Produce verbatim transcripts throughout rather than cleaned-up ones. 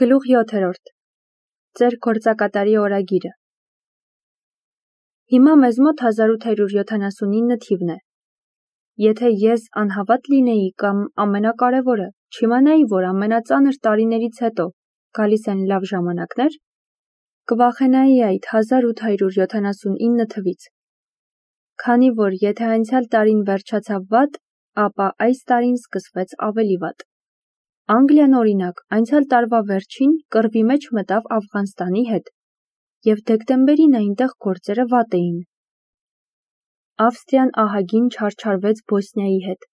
Գլուխ յոթերորդ. Ձեր գործակատարի օրագիրը։ Հիմա մեզ մոտ հազար ութ հարյուր յոթանասունինը թիվն է։ Եթե ես անհավատ լինեի կամ ամենակարևորը, չիմանայի, որ ամենածանր տարիներից հետո գալիս են լավ ժամանակներ, կվախենայի այդ հազար ութ հարյուր յոթանասունինը թվից։ Քանի որ եթե անցյալ տարին վերջացավ վատ, ապա այս տարին սկսվեց ավելի վատ։ Անգլիան օրինակ անցյալ տարվա վերջին կռվի մեջ մտավ Աֆղանստանի հետ, և դեկտեմբերին այնտեղ գործերը վատ էին։ Ավստրիան ահագին չարչարվեց Բոսնիայի հետ,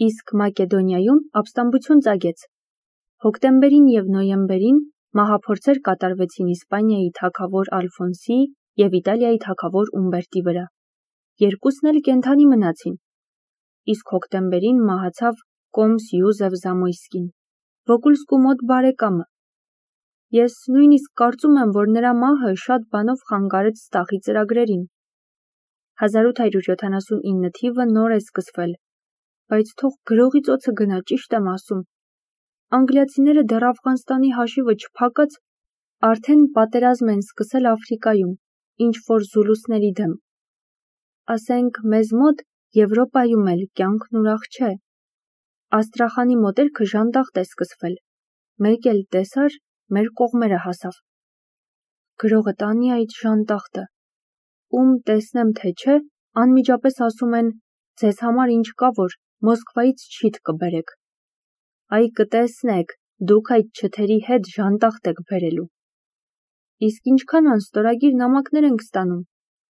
իսկ Մակեդոնիայում ապստամբություն ծագեց։ Հոկտեմբերին և նոյեմբերին մահափորձեր կատարվեցին Իսպանիայի թագավոր Ալֆոնսիի և Իտալիայի թագավոր Ումբերտի վրա։ Երկուսն էլ կենդանի մնացին։ Իսկ հոկտեմբերին մահացավ կոմս Յուզեֆ Զամոյսկին, Վոկուլսկու մոտ բարեկամը։ Ես նույնիսկ կարծում եմ, որ նրա մահը շատ բանով խանգարեց Ստախի ծրագրերին։ հազար ութ հարյուր յոթանասունինը թիվը նոր է սկսվել, բայց թող գրողի ծոցը գնա, ճիշտ եմ ասում։ Անգլիացիները դեռ Աֆղանստանի հաշիվը չփակած, արդեն պատերազմ են սկսել Աֆրիկայում, ինչ-որ զուլուսների դեմ։ Ասենք, մեզ մոտ Եվրոպայում էլ կյանքն ուրախ չէ։ Աստրախանի մոտերքը ժանդախտ է սկսվել, մեկ էլ տեսար, մեր կողմերը հասավ։ Գրողը տանի այդ ժանդախտը, ում տեսնեմ թե չէ, անմիջապես ասում են, ձեզ համար ինչ կա, որ Մոսկվայից չիթ կբերեք։ Այ կտեսնեք, դուք այդ չթերի հետ ժանդախտ եք բերելու։ Իսկ ինչքան անստորագիր նամակներ ենք ստանում,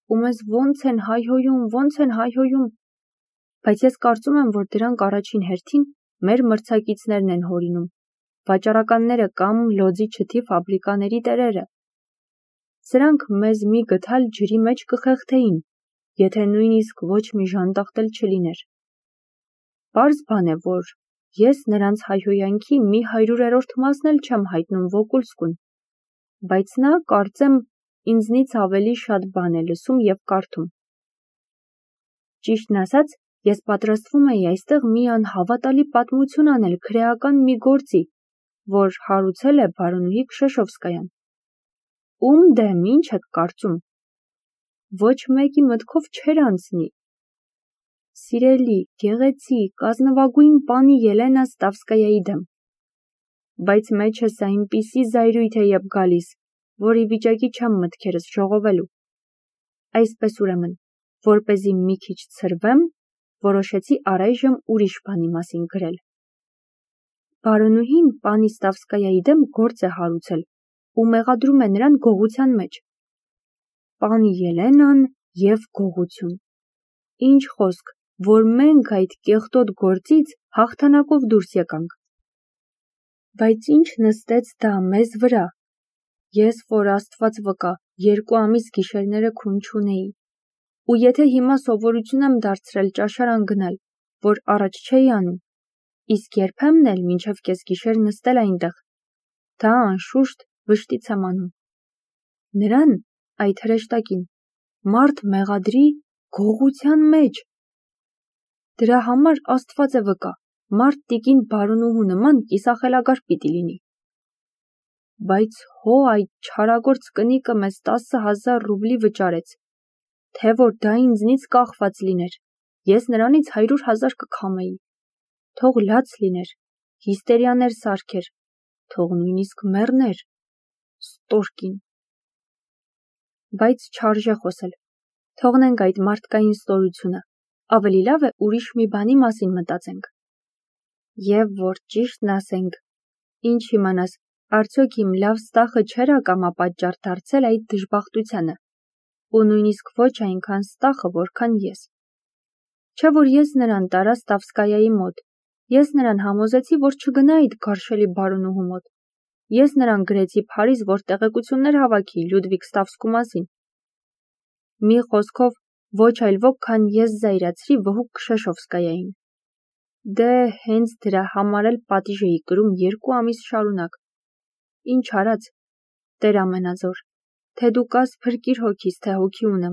ու մեզ ոնց են հայհոյում, ոնց են հայհոյում։ Բայց ես կարծում եմ, որ դրանք առաջին հերթին մեր մրցակիցներն են հորինում, վաճառականները կամ լոձի չթի ֆաբրիկաների տերերը։ Սրանք մեզ մի գդալ ջրի մեջ կխեղդեին, եթե նույնիսկ ոչ մի ժանդախտ էլ չլիներ։ Պարզ բան է, որ ես նրանց հայհոյանքի մի հարյուրերորդ մասն էլ չեմ հայտնում Վոկուլսկուն, բայց նա, կարծեմ, ինձնից ավելի շատ բան է լսում և կարդում։ Ճիշտն ասած, ես պատրաստվում էի այստեղ մի անհավատալի պատմություն անել քրեական մի գործի, որ հարուցել է բարոնուհի Քշեշովսկայան։ Ում դեմ, ինչ եք կարծում։ Ոչ մեկի մտքով չէր անցնի։ Սիրելի, գեղեցիկ, ազնվագույն պանի Ելենա Ստավսկայայի դեմ։ Բայց մեջս այնպիսի զայրույթ է եբ գալիս, որ ի վիճակի չեմ մտքերս ժողովելու։ Այսպես ուրեմն, որպեսզի մի քիչ ցրվեմ, որոշեցի առայժմ ուրիշ բանի մասին գրել։ Բարոնուհին պանի Ստավսկայայի դեմ գործ է հարուցել ու մեղադրում է նրան գողության մեջ։ Պանի Ելենան և գողություն։ Ինչ խոսք, որ մենք այդ կեղտոտ գործից հաղթանակով դուրս եկանք։ Բայց ինչ նստեց դա մեզ վրա։ Ես, որ Աստված վկա, երկու ամիս գիշերները քուն չունեի։ Ու եթե հիմա սովորություն եմ դարձրել ճաշարան գնալ, որ առաջ չէի անում, իսկ երբեմն էլ մինչև կեսգիշեր նստել այնտեղ, դա անշուշտ վշտից եմ անում։ Նրան, այդ հրեշտակին, մարդ մեղադրի գողության մեջ։ Դրա համար Աստված է վկա, մարդ տիկին բարոնուհու նման կիսախելագար պիտի լինի։ Բայց հո այդ չարագործ կնիկը մեզ տասը հազար ռուբլի վճարեց, թե որ դա ինձնից կախված լիներ, ես նրանից հարյուր հազար կքամեի, թող լաց լիներ, հիստերիաներ սարքեր, թող նույնիսկ մեռներ, ստորկին։ Բայց չարժե խոսել, թողնենք այդ մարդկային ստորությունը, ավելի լավ է ուրիշ մի բանի մասին մտածենք։ Եվ որ ճիշտն ասենք, ինչ իմանաս, արդյոք իմ լավ Ստախը չէր ակամապատճառ դարձել այդ դժբախտությանը, ու նույնիսկ ոչ այնքան Ստախը, որքան ես։ Չէ որ ես նրան տարա Ստավսկայայի մոտ, ես նրան համոզեցի, որ չգնա այդ գարշելի բարոնուհու մոտ, ես նրան գրեցի Փարիզ, որ տեղեկություններ հավաքի Լյուդվիգ Ստավսկու մասին։ Մի խոսքով, ոչ այլ ոք, քան ես զայրացրի վհուկ Քշեշովսկայային։ Դե հենց դրա համար էլ պատիժ էի կրում երկու ամիս շարունակ։ Ինչ արած, Տեր ամենազոր, թե դու կաս փրկիր հոգիս, թե հոգի ունեմ։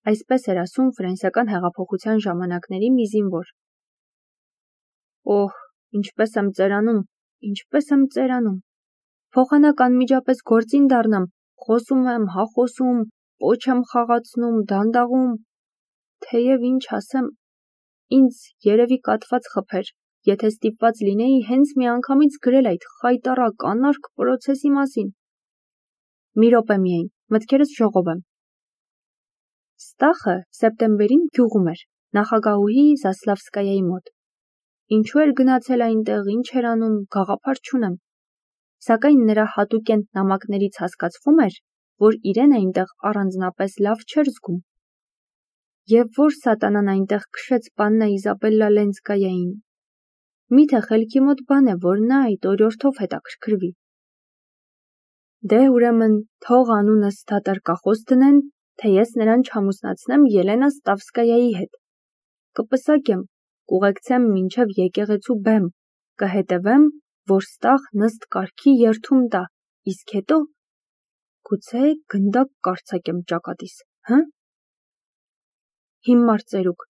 Այսպես էր ասում ֆրանսիական հեղափոխության ժամանակների մի զինվոր։ Օհ, ինչպես եմ ծերանում, ինչպես եմ ծերանում։ Փոխանակ անմիջապես գործին դառնամ, խոսում եմ, հա խոսում, պոչ եմ խաղացնում, դանդաղում, թեև ինչ ասեմ, ինձ երևի կաթված խփեր, եթե ստիպված լինեի հենց միանգամից գրել այդ խայտառակ անարգ պրոցեսի մասին։ Մի րոպե միայն, մտքերս ժողովեմ։ Ստախը սեպտեմբերին գյուղում էր, նախագահուհի Զասլավսկայայի մոտ։ Ինչու էր գնացել այնտեղ, ինչ էր անում, գաղափար չունեմ։ Սակայն նրա հատուկենտ նամակներից հասկացվում էր, որ իրեն այնտեղ առանձնապես լավ չէր զգում։ Եվ որ սատանան այնտեղ քշեց պաննա Իզաբելլա Լենսկայային։ Միթե խելքի մոտ բան է, որ նա այդ օրիորդով հետաքրքրվի։ Դե ուրեմն թող անունս դատարկախոս դնեն, թե ես նրան չամուսնացնեմ Ելենա Ստավսկայայի հետ։ Կպսակեմ, կուղեկցեմ մինչև եկեղեցու բեմ, կհետևեմ, որ Ստախ նստ կարգի երթում տա, իսկ հետո գուցե գնդակ կարձակեմ ճակատիս, հը՞։ Հիմար ծերուկ,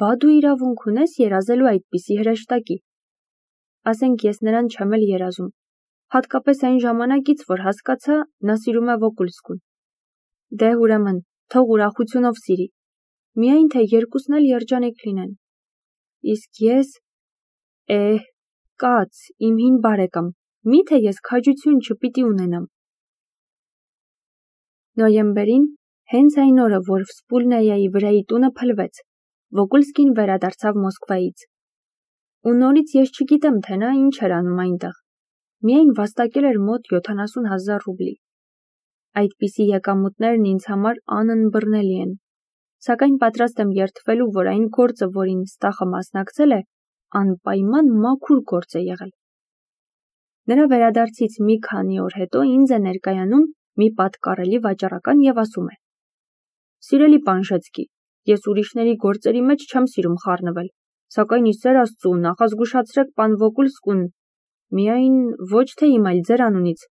բա դու իրավունք ունես երազելու այդպիսի հրեշտակի։ Ասենք ես նրան չեմ էլ երազում, հատկապես այն ժամանակից, որ հասկացա, նա սիրում է Վոկուլսկուն։ Դե ուրեմն, թող ուրախությունով սիրի, միայն թե երկուսն էլ երջանիկ լինեն։ Իսկ ես, էհ, կաց, իմ հին բարեկամ, միթե ես քաջություն չպիտի ունենամ։ Նոյեմբերին, հենց այն օրը, որ Վսպուլնայայի վրայի տունը փլվեց, Վոկուլսկին վերադարձավ Մոսկվայից։ Ու նորից ես չգիտեմ, թե նա ինչ էր անում այնտեղ։ Միայն վաստակել էր մոտ յոթանասուն հազար ռուբլի։ Այդպիսի եկամուտներն ինձ համար անըմբռնելի են։ Սակայն պատրաստ եմ երդվելու, որ այն գործը, որին Ստախը մասնակցել է, անպայման մաքուր գործ է եղել։ Նրա վերադարձից մի քանի օր հետո ինձ է ներկայանում մի պատկառելի վաճառական եւ ասում է. Սիրելի Պանժեցկի, ես ուրիշների գործերի մեջ չեմ սիրում խառնվել, սակայն ի սեր Աստծու նախազգուշացրեք պան Վոկուլսկուն, միայն ոչ թե իմ, այլ ձեր անունից,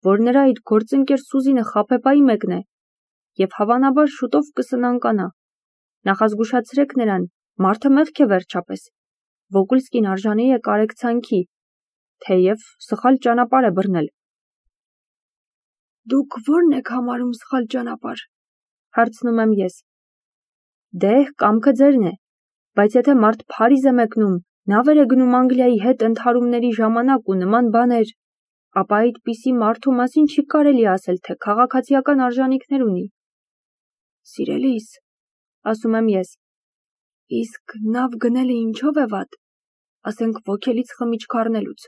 որ նրա այդ գործընկեր Սուզինը խաբեբայի մեկն է, եւ հավանաբար շուտով կսնանկանա։ Նախազգուշացրեք նրան, մարդը մեղք է վերջապես։ Վոկուլսկին արժանի է կարեկցանքի, թեև սխալ ճանապարհ է բռնել։ Դուք ո՞րն եք համարում սխալ ճանապարհ, հարցնում եմ ես։ Դե, կամքը ձերն է, բայց եթե մարդ Փարիզ է մեկնում, նավեր է գնում Անգլիայի հետ ընդհարումների ժամանակ ու նման բաներ, ապա այդպիսի մարդու մասին չի կարելի ասել, թե քաղաքացիական արժանինքներ ունի։ Սիրելիս, ասում եմ ես, իսկ նավ գնելը ինչով է վատ, ասենք ոգելից խմիչք առնելուց,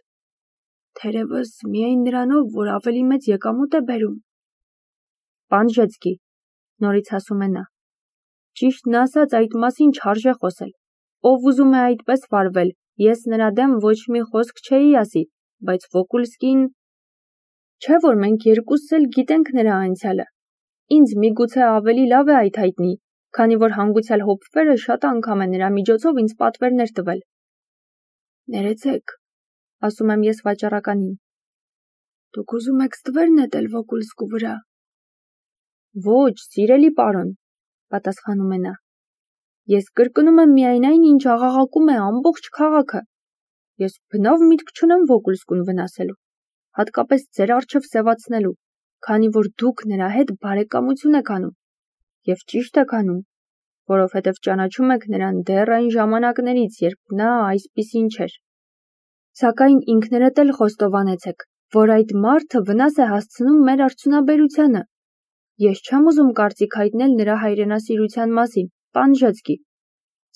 թերևս միայն նրանով, որ ավելի մեծ եկամուտ է բերում։ Պանժեցկի, նորից ասում է նա, ճիշտն ասած այդ մասին չարժե խոսել, ով ուզում է այդպես վարվել, ես նրա դեմ ոչ մի խոսք չէի ասի, բայց Վոկուլսկին, չէ որ մենք երկուսս էլ գիտենք նրա անցյալը, ինձ միգուցե ավելի լավ է այդ հայտնի, քանի որ հանգուցյալ հոպվերը շատ անգամ է նրա միջոցով ինձ պատվերներ տվել։ Ներեցեք, ասում եմ ես վաճառականին, դուք ուզում եք ստվեր նետել Վոկուլսկու վրա։ Ոչ, սիրելի պարոն, պատասխանում է նա, ես կրկնում եմ միայն այն, ինչ աղաղակում է ամբողջ քաղաքը։ Ես բնավ միտք չունեմ Վոկուլսկուն վնասելու, հատկապես ձեր առջև սևացնելու, քանի որ դուք նրա հետ բարեկամություն եք անում, եւ ճիշտ եք անում, որովհետեւ ճանաչում եք նրան դեռ այն ժամանակներից, երբ նա այսպիսին չէր։ Սակայն ինքներդ էլ խոստովանեցեք, որ այդ մարդը վնաս է հասցնում մեր արդյունաբերությանը։ Ես չեմ ուզում կարծիք հայտնել նրա հայրենասիրության մասին, Պանժեցկի,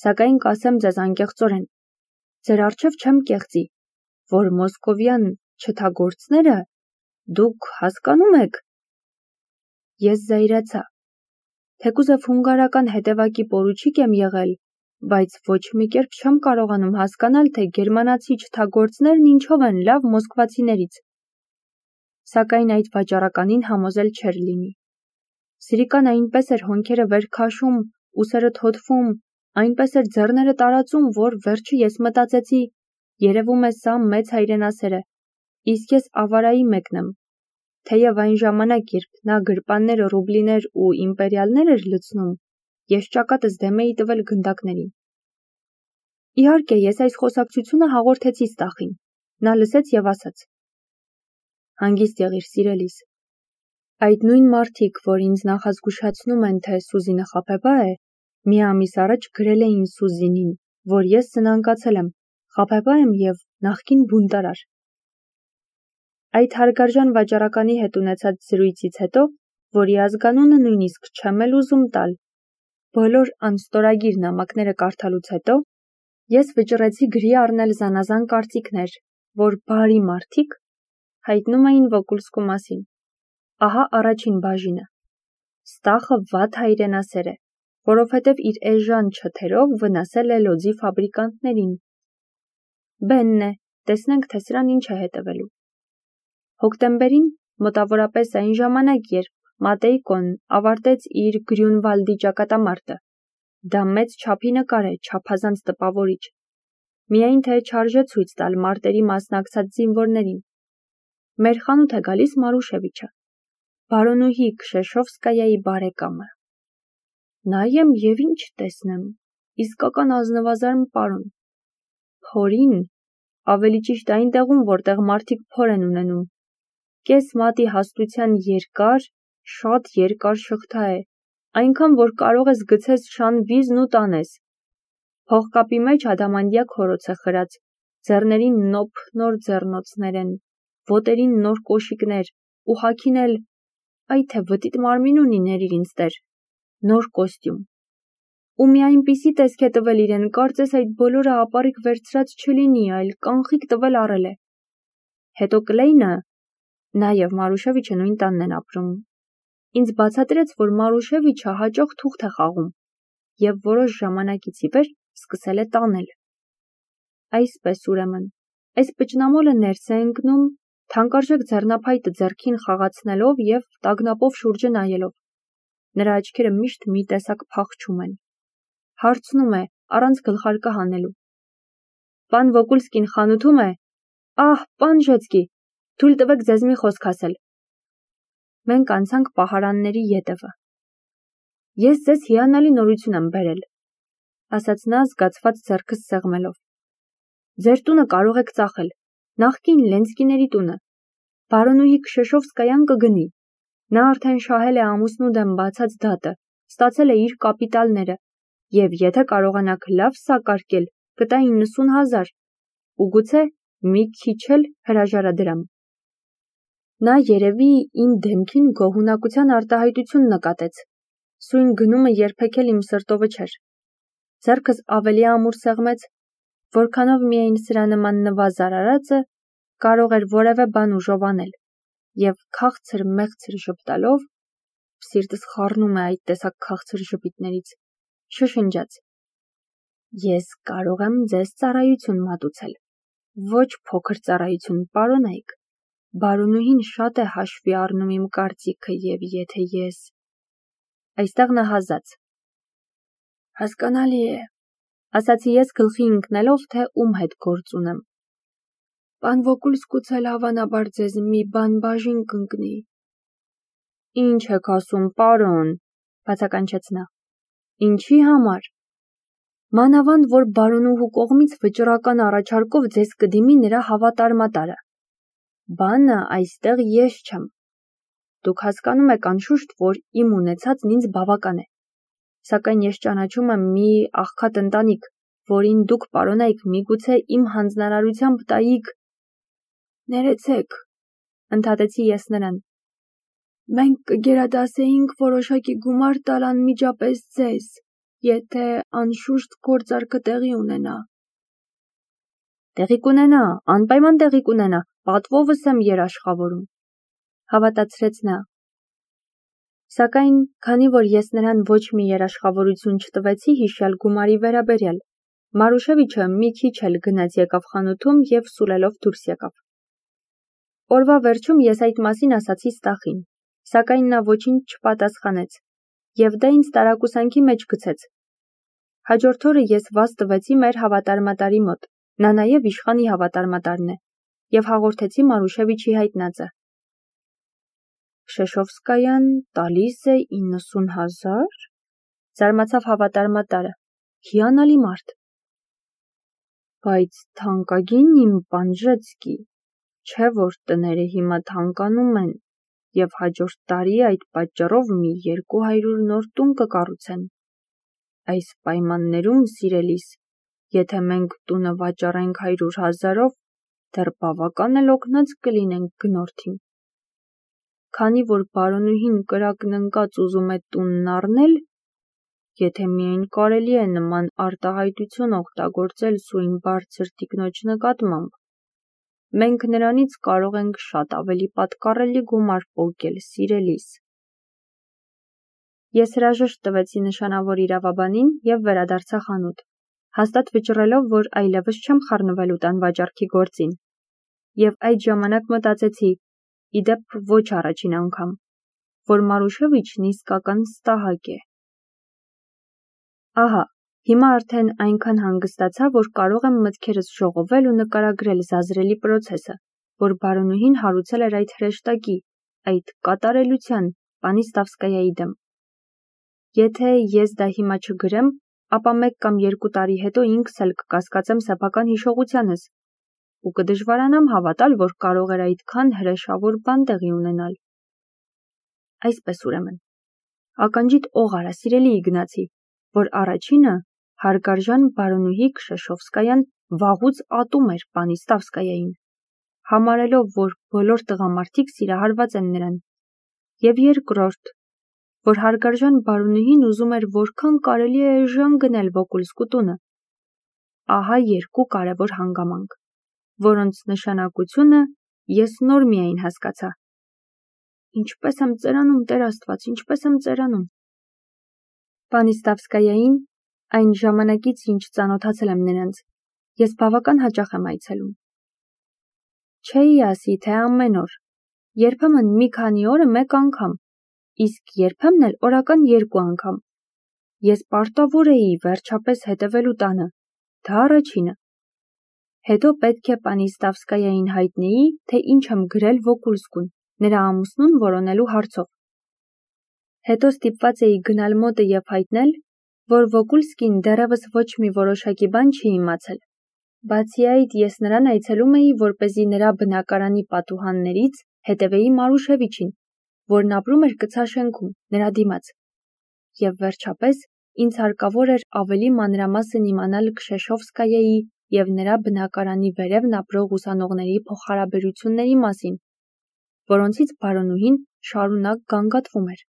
սակայն կասեմ ձեզ անկեղծորեն, ձեր առջև չեմ կեղծի, որ մոսկովյան չթագործները դուք հասկանում եք։ Ես զայրացա, թեկուզև հունգարական հետևակի պորուչիկ եմ եղել, բայց ոչ մի կերպ չեմ կարողանում հասկանալ, թե գերմանացի չթագործներն ինչով են լավ մոսկվացիներից։ Սակայն այդ վաճառականին համոզել չէր լինի։ Սրիկան այնպես էր հոնքերը վեր քաշում, ուսերը թոթվում, այնպես էր ձեռները տարածում, որ վերջը ես մտածեցի, երևում է սա մեծ հայրենասեր է, իսկ ես ավարայի մեկն եմ, թեև այն ժամանակ, երբ նա գրպաններ, ռուբլիներ ու իմպերիալներ էր լցնում, ես ճակատս դեմ էի տվել գնդակներին։ Իհարկե, ես այս խոսակցությունը հաղորդեցի Ստախին, նա լսեց եւ ասաց. Հանգիստ եղիր, սիրելիս։ Այդ նույն մարդիկ, որ ինձ նախազգուշացնում են, թե Սուզինը խաբեբա է, մի ամիս առաջ գրել էին Սուզինին, որ ես սնանկացել եմ, խաբեբա եմ և նախկին բունտարար։ Այդ հարգարժան վաճառականի հետ ունեցած զրույցից հետո, որի ազգանունը նույնիսկ չեմ էլ ուզում տալ, բոլոր անստորագիր նամակները կարդալուց հետո, ես վճռեցի գրի առնել զանազան կարծիքներ, որ բարի մարդիկ հայտնում էին Վոկուլսկու մասին։ Ահա առաջին բաժինը։ Ստախը վատ հայրենասեր է, որովհետև իր էժան չթերով վնասել է լոձի ֆաբրիկանտներին։ Բենն է, տեսնենք, թե սրան ինչ է հետևելու։ Հոկտեմբերին, մոտավորապես այն ժամանակ, երբ Մատեյկոն ավարտեց իր Գրյունվալդի ճակատամարտը, դա մեծ չափի նկար է, չափազանց տպավորիչ։ Միայն թե չարժե ցույց տալ մարտերի մասնակցած զինվորներին։ Մեր խանութ է գալիս Մարուշևիչը, բարոնուհի Քշեշովսկայայի բարեկամը։ Նայեմ և ինչ տեսնեմ, իսկական ազնվազարմ պարոն։ Փորին, ավելի ճիշտ այն տեղում, որտեղ մարդիկ փոր են ունենում։ Կես մատի հաստության երկար, շատ երկար շղթա է, այնքան, որ կարող ես գցես շան վիզն ու տանես։ Փողկապի մեջ ադամանդյա քորոց է խրած, ձեռներին նոփ նոր ձեռնոցներ են, ոտերին նոր կոշիկներ, ու հագին էլ, այ թե վտիտ մարմին ունի, ներիր ինձ տեր, նոր կոստյում։ Ու մի այնպիսի տեսք է տվել իրեն, կարծես այդ բոլորը ապառիկ վերցրած չլինի, այլ կանխիկ տվել առել է։ Հետո Կլեյնը, նա և Մարուշևիչը նույն տանն են ապրում, ինձ բացատրեց, որ Մարուշևիչը հաճախ թուղթ է խաղում և որոշ ժամանակից ի վեր սկսել է տանել։ Այսպես ուրեմն, այս պճնամոլը ներս է ընկնում, թանկարժեք ձեռնափայտը ձեռքին խաղացնելով և տագնապով շուրջը նայելով։ Նրա աչքերը միշտ մի տեսակ փախչում են։ Հարցնում է, առանց գլխարկը հանելու. Պան Վոկուլսկին խանութում է։ Ահ, պան Ժեցկի, թույլ տվեք ձեզ մի խոսք ասել։ Մենք անցանք պահարանների ետևը։ Ես ձեզ հիանալի նորություն եմ բերել, ասաց նա զգացված ձեռքս սեղմելով։ Ձեր տունը կարող եք ծախել, նախկին Լենսկիների տունը։ Բարոնուհի Քշեշովսկայան կգնի։ Նա արդեն շահել է ամուսնու դեմ բացած դատը, ստացել է իր կապիտալները, և եթե կարողանաք լավ սակարկել, կտա իննսուն հազար, ու գուցե մի քիչ էլ հրաժարադրամ։ Նա երևի իմ դեմքին գոհունակության արտահայտություն նկատեց։ Սույն գնումը երբեք էլ իմ սրտովը չէր։ Ձեռքս ավելի ամուր սեղմեց, որքանով միայն սրա նման նվազար արածը կարող էր որևէ բան ուժովանել, և քաղցր մեղցր ժպտալով, սիրտս խառնում է այդ տեսակ քաղցր ժպիտներից, շշնջաց. Ես կարող եմ ձեզ ծառայություն մատուցել, ոչ փոքր ծառայություն, պարոնայք, բարոնուհին շատ է հաշվի առնում իմ կարծիքը, և եթե ես… Այստեղ նա հազաց։ Հասկանալի է, ասացի ես գլխի ընկնելով, թե ում հետ գործ ունեմ։ Պան Վոկուլսկուց էլ հավանաբար ձեզ մի բան բաժին կընկնի։ Ինչ եք ասում, պարոն, բացականչեց նա։ Ինչի համար։ Մանավանդ, որ բարոնուհու կողմից վճռական առաջարկով ձեզ կդիմի նրա հավատարմատարը։ Բանը այստեղ ես չեմ։ Դուք հասկանում եք անշուշտ, որ իմ ունեցածն ինձ բավական է։ Սակայն ես ճանաչում եմ մի աղքատ ընտանիք, որին դուք, պարոնայք, միգուցե իմ հանձնարարությամբ տայիք… Ներեցեք, ընդհատեցի ես նրան։ Մենք կգերադասեինք որոշակի գումար տալ անմիջապես ձեզ, եթե անշուշտ գործարքը տեղի ունենա։ Տեղի կունենա, անպայման տեղի կունենա, պատվովս եմ երաշխավորում, հավատացրեց նա։ Սակայն, քանի որ ես նրան ոչ մի երաշխավորություն չտվեցի հիշյալ գումարի վերաբերյալ, Մարուշևիչը մի քիչ էլ գնաց եկավ խանութում և սուլելով դուրս եկավ։ Օրվա վերջում ես այդ մասին ասացի Ստախին, սակայն նա ոչինչ չպատասխանեց, և դա ինձ տարակուսանքի մեջ գցեց։ Հաջորդ օրը ես վազ տվեցի մեր հավատարմատարի մոտ, նա նաև իշխանի հավատարմատարն է, և հաղորդեցի Մարուշևիչի հայտնածը։ Քշեշովսկայան տալիս է իննսուն հազար, զարմացավ հավատարմատարը, հիանալի մարդ։ Բայց թանկագին իմ պան Ժեցկի, Չէ որ տները հիմա թանկանում են, և հաջորդ տարի այդ պատճառով մի երկու հարյուր նոր տուն կկառուցեն։ Այս պայմաններում, սիրելիս, եթե մենք տունը վաճառենք հարյուր հազարով, դեռ բավական էլ օգնած կլինենք գնորդին։ Քանի որ բարոնուհին կրակն ընկած ուզում է տունն առնել, եթե միայն կարելի է նման արտահայտություն օգտագործել սույն բարձր տիկնոջ նկատմամբ, մենք նրանից կարող ենք շատ ավելի պատկառելի գումար պոկել, սիրելիս։ Ես հրաժեշտ տվեցի նշանավոր իրավաբանին և վերադարձա խանութ, հաստատ վճռելով, որ այլևս չեմ խառնվելու տան վաճառքի գործին, և այդ ժամանակ մտածեցի, ի դեպ ոչ առաջին անգամ, որ Մարուշևիչն իսկական ստահակ է։ Ահա, հիմա արդեն այնքան հանգստացա, որ կարող եմ մտքերս ժողովել ու նկարագրել զազրելի պրոցեսը, որ բարոնուհին հարուցել էր այդ հրեշտակի, այդ կատարելության, պանի Ստավսկայայի դեմ։ Եթե ես դա հիմա չգրեմ, ապա մեկ կամ երկու տարի հետո ինքս էլ կկասկածեմ սեփական հիշողությանս ու կդժվարանամ հավատալ, որ կարող էր այդքան հրեշավոր բան տեղի ունենալ։ Այսպես ուրեմն, ականջիդ օղ արա, սիրելի Իգնացի, որ առաջինը հարգարժան բարոնուհի Քշեշովսկայան վաղուց ատում էր պանի Ստավսկայային, համարելով, որ բոլոր տղամարդիկ սիրահարված են նրան, և երկրորդ, որ հարգարժան բարոնուհին ուզում էր որքան կարելի է էժան գնել Վոկուլսկու տունը։ Ահա երկու կարևոր հանգամանք, որոնց նշանակությունը ես նոր միայն հասկացա։ Ինչպես եմ ծերանում, Տեր Աստված, ինչպես եմ ծերանում։ Պանի Ստավսկայային, այն ժամանակից, ինչ ծանոթացել եմ նրանց, ես բավական հաճախ եմ այցելում։ Չէի ասի, թե ամեն օր, երբեմն մի քանի օրը մեկ անգամ, իսկ երբեմն էլ օրական երկու անգամ։ Ես պարտավոր էի վերջապես հետևելու տանը, դա առաջինը։ Հետո պետք է պանի Ստավսկայային հայտնեի, թե ինչ եմ գրել Վոկուլսկուն, նրա ամուսնուն որոնելու հարցով։ Հետո ստիպված էի գնալ մոտը և հայտնել, որ Վոկուլսկին դեռևս ոչ մի որոշակի բան չի իմացել։ Բացի այդ, ես նրան այցելում էի, որպեսզի նրա բնակարանի պատուհաններից հետևեի Մարուշևիչին, որն ապրում էր կցա շենքում, նրա դիմաց։ Եվ վերջապես, ինձ հարկավոր էր ավելի մանրամասն իմանալ Քշեշովսկայայի և նրա բնակարանի վերևն ապրող ուսանողների փոխհարաբերությունների մասին, որոնցից բարոնուհին շարունակ գանգատվում էր։